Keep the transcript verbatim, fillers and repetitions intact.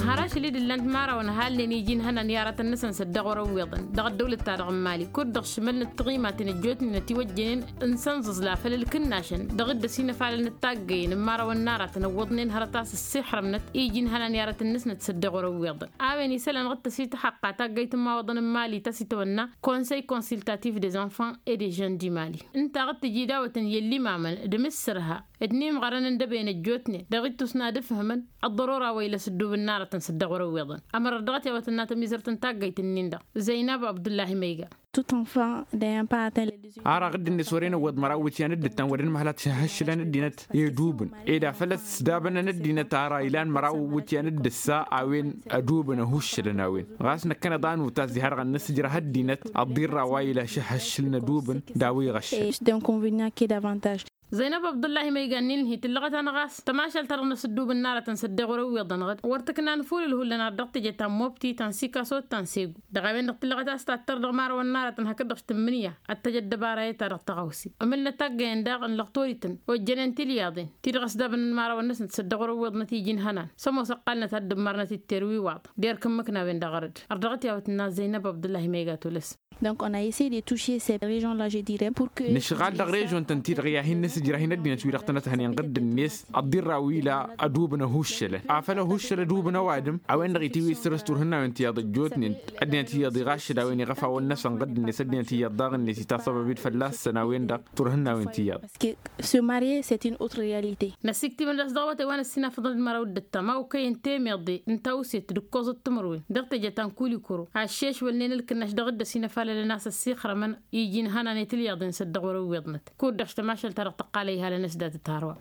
Har ašăl-i d-ǝllan timarawăn halnen iji n-ihănan i-aratăn-năsăn s-ăddoɣ wăr-ăwwiḍăn dăɣ-ăddăwlăt-ta-dăɣ n-imali kud-dăɣ šmălnăt tiɣimaten ăjjootnen ătiwăjjănen n-sănẓǝẓla făll-ălkǝnnašăn dăɣ-dd-ăsinăfalălnăt taggăyăn n-imărawăn n-aratăn ăwwăḍnen hărăt a-s ăssixrămnăt iji n-ihănan i-aratăn-năsnăt s-ăddoɣ wăr-ăwwiḍăn. A-wen isălan dăɣ-tăsităxăqqa taggăyt n-imawăḍăn n-imali ta s-itwănna conseil consultatif des enfants et des jeunes du mali ǝnta a ɣǝd-tǝjjǝy dawătăn i-ăllimamăn d-imǝssărha d-inǝmɣărăn n-dăbăyăn ăjjootnen dăɣ-ittus n-ad-ǝfhǝmăn ăḍḍărora wa ila s-ǝddubǝn n-aratăn s-ăddoɣ wăr-ăwwiḍăn. Ămăra dăɣ-t i-a-wa tǝnna tămizărt n-taggăyt-nin-dăɣ zăynab abdullahi măyga. Tout enfant d'un parent. Ara ɣǝdd-net wăren ăwwăḍ măraw iwǝtyan d-ǝttan wăren măhălat šăhhăššǝlăn ăddinăt i-idubǝn ed afăl ăsdabănăn ăddinăt ara ilan măraw iwǝtyan d-ǝssa a-wen ădubǝn ăhuššălăn a-wen ɣas năkkăneḍ a nutas diha-dăɣ ănnăsǝjrăh ăddinăt ăḍḍirra wa ila šăhhăššǝlăn ădubǝn d-a-wa iɣăššăn. Zăynăb abdullahi ma igannin-hi tǝllăɣăt-anăɣ a-s tămašalt-ta-dăɣ n-asǝddub n-aratăn s-ăddeɣ wăr-ăwwiḍănăɣ-dd wăr tǝknan ful ǝlhullăn ar dăɣ-teje ta n-mobti ta n-sikaso ta n-segu dăɣ-a-wen-dăɣ tǝllăɣăt a-s tattăr dăɣ-imărawăn n-aratăn hakd-dăɣ tǝmmǝnǝya ad-tăj ăddăbara i-ta-dăɣ tăɣawse ămǝlnăt taggăyăn daɣ n-lăɣtorităn ojjănen tilyaḍen ti-dăɣ ăsdabănăn imărawăn-năsnăt s-ăddeɣ wăr-ăwwiḍnăt iji n-ihănan s-ămoos ăqqalnăt ad-dd-ǝmmărnăt itter wi iwaḍ d-erk ǝmmǝkna a-wen-dăɣ ɣărăd. Ărdăɣăt i-a-wa tǝnna zăynăb abdullahi ma iga tolăs. Donc on a essayé de toucher ces régions là je dirai pour que. Nǝšɣal dăɣ-režon-tăn-ti-dăɣ i-ad-hin-nǝsǝjrăh-in ăddinăt-wi-dăɣ tănăt-hănen ɣǝdd-net ăḍḍirra wi ila ădubǝn ăhuššălăn afăl ăhuššăl ădubǝn ăwadǝm a-wen-dăɣ itiwǝy s-săr-s turhǝnnawen tiyyăḍ ăjjootnen ăddinăt iyyăḍ iɣaššăl a-wen iɣăfawăn-năsăn ɣǝdd-net ăddinăt iyyăḍ daɣ-net itasăbăb-dd fălla-săn a-wen-dăɣ turhǝnnawen tiyyăḍ. Parce que se marier c'est une autre réalité. Năsiktǝmăn d-a-s dăɣ-awătay wa n-ăssinafăḍăn d-măraw d-ǝttam a okăyăn temeḍe n-tawset d-ǝkkoẓăt timǝrwen dăɣ-teje ta n-kulikuro ăššešwălnen ǝlkǝnnaš dăɣ-dd-ăsinăfalălăn a-s ăssixrămăn iji n-ihănan i-tilyaḍen s-ăddeɣ wăr-ǝwwiḍnăt kud-dăɣ tămašalt-ta-dăɣ tăqqalăy ihalăn s-datăt hărwa.